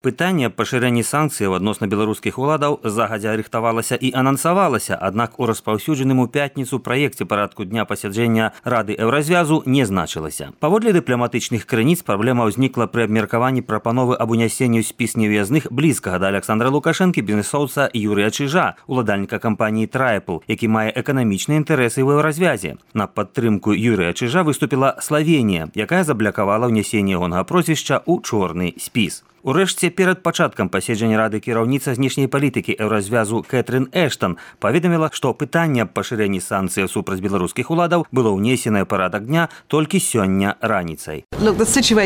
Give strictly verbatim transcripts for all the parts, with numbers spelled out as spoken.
Пытанне пашырэння санкцыяў адносна беларускіх уладаў загадзя рыхтавалася і анансавалася, аднак у распаўсюджаным у пятніцу праекце парадку дня пасяджэння Рады Еўразвязу не значылася. Паводле дыпламатычных крыніц праблема ўзнікла пры абмеркаванні прапановы аб унясенні ў спіс невыязных блізкага да Аляксандра Лукашэнкі бізнэсоўца Юрыя Чижа, уладальніка кампаніі «Трайпл», які мае эканамічныя інтарэсы ў Еўразвязе. На падтрымку Юрыя Чижа выступіла Славенія, якая заблакавала ўнясенне ягонага прозвішча ў чорны спіс. Урэшце, перад пачаткам паседжання Рады кіраўніца знешняй палітыкі Еўразвязу Кэтрын Эштон паведаміла, што пытанне аб пашырэнні санкцыяў супраць беларускіх уладаў было ўнесенае ў парадак дня толькі сёння раніцай. Ацэньваючы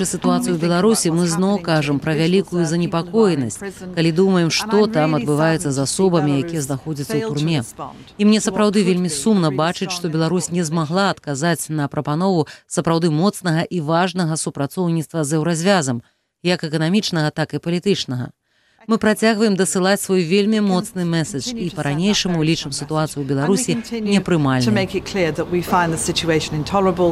сітуацыю ў Беларусі, мы зноў кажам пра вялікую занепакоенасць, калі думаем, што там адбываецца з асобамі, якія знаходзяцца ў турме. І мне сапраўды вельмі сумна бачыць, што Беларусь не змагла адказаць на прапанову сапраўды моцнага і важнага супрацоўніцтва з Еўразвязам, як эканамічнага, так і палітычнага. Мы працягваем дасылаць свой вельмі моцны месседж і па-ранейшаму лічым сітуацыю ў Беларусі непрымальнай.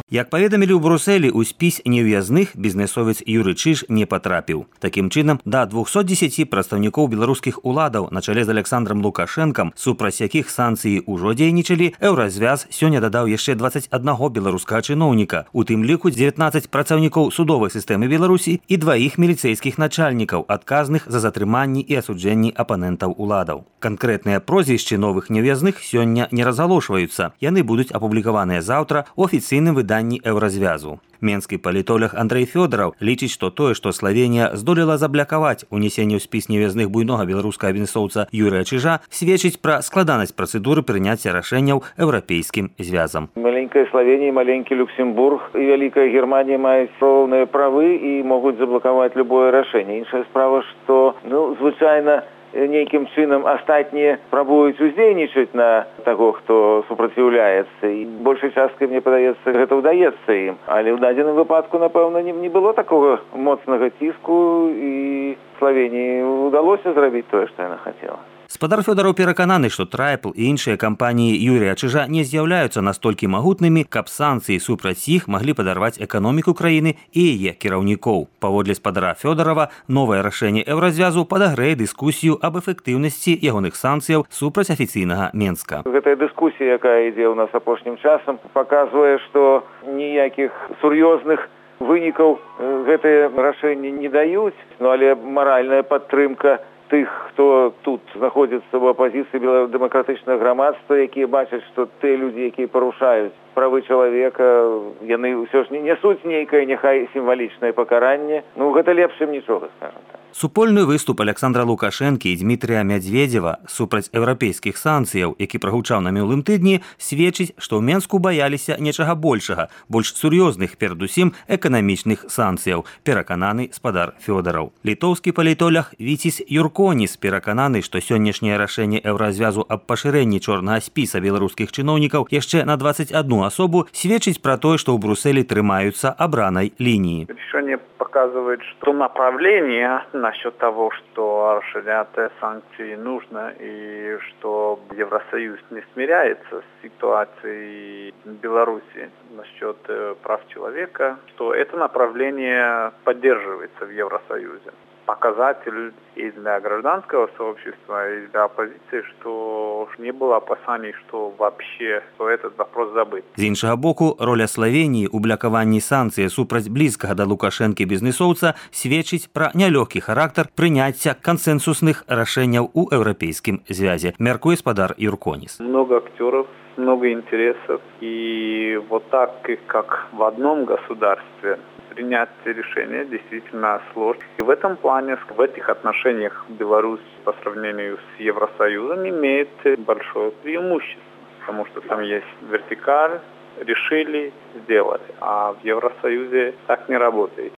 Як паведамілі ў Брусэлі, у спіс невыязных бізнэсовец Юры Чиж не патрапіў. Такім чынам, да двухсот дзесяці прадстаўнікоў беларускіх уладаў на чале з Аляксандрам Лукашэнкам, супраць якіх санкцыі ўжо дзейнічалі, Еўразвяз сёння дадаў яшчэ дваццаць аднаго беларускага чыноўніка, у тым ліку дзевятнаццаць працаўнікоў судовай сістэмы Беларусі і дваіх міліцэйскіх начальнікаў, адказных за затрыманне і асуджэнні апанентаў уладаў. Канкрэтныя прозвішчы новых невыязных сёння не разгалошваюцца. Яны будуць апублікаваныя заўтра ў афіцыйным выданні Еўразвязу. Менскі палітолог Андрэй Фёдораў лічыць, што тое, што Славенія здолела заблакаваць унесенне ў спіс невыязных буйнога беларускага бізнэсоўца Юрыя Чижа, сведчыць пра складанасць працэдуры прыняцця рашэнняў еўрапейскім звязам. Маленькая Славенія, маленькі Люксембург і вялікая Германія маюць роўныя правы і могуць заблакаваць любое рашэнне. Іншая справа, што, ну, звычайна, нейкім чынам астатнія пробуюць уздзейнічаць на таго, хто супраціўляецца. І большай часткай, мне падаецца, гэта ўдаецца ім. Але ў дадзеным выпадку, напэўна, не было такога моцнага ціску, і Славенії ўдалося зрабіць тое, што яна хацела. Спадар Фёдораў перакананы, што «Трайпл» і іншыя кампаніі Юрія Чижа не з'яўляюцца настолькі магутнымі, каб санкцыі супраць іх маглі падарваць эканоміку краіны і яе кіраўнікоў. Паводле спадара Фёдорава, новае рашэнне Еўразвязу падагрэе дыскусію аб эфектыўнасці ягоных санкцыяў супраць афіцыйнага Менска. Гэтая дыскусія, якая ідзе ў нас апошнім часам, паказвае, што ніякіх сур'ёзных вынікаў гэтыя рашэнні не даюць, ну, але маральная падтрымка тых, хто тут знаходзіцца ў апазіцыі дэмакратычнага грамадства, якія бачаць, што тыя людзі, якія парушаюць правы чалавека, яны ўсё ж не нясуць нейкае, няхай сімвалічнае пакаранне. Ну, гэта лепш, чым нічога, скажам так. Супольны выступ Аляксандра Лукашэнкі і Дмітрыя Мядзведзева супраць еўрапейскіх санкцыяў, які прагучаў на мінулым тыдні, сведчыць, што ў Менску баяліся нечага большага, больш сур'ёзных, перадусім эканамічных санкцыяў, перакананы спадар Фёдораў. Літоўскі палітолог Віціс Юрконіс перакананы, што сённяшняе рашэнне Еўразвязу аб пашырэнні чорнага спіса беларускіх чыноўнікаў яшчэ на дваццаць адну асобу сведчыць пра тое, што ў Брусэлі трымаюцца абранай лініі. Решение показывает, что направление насчет того, что расширять санкции нужно и что Евросоюз не смиряется с ситуацией в Беларуси насчет прав человека, что это направление поддерживается в Евросоюзе. Показатель и для гражданского сообщества, и для оппозиции, что не было опасений, что вообще что этот вопрос забыт. З іншага боку, роля Славенії ў блакаванні санкцый супраць блізкага да Лукашэнкі бізнэсоўца сведчыць пра нялёгкі характар прыняцця кансенсусных рашэнняў у еўрапейскім звязе, мяркуе спадар Юрконіс. Много актеров, много интересов, и вот так, как в одном государстве, принять решение действительно сложно. И в этом плане, в этих отношениях Беларусь по сравнению с Евросоюзом имеет большое преимущество, потому что там есть вертикаль, решили, сделали, а в Евросоюзе так не работает.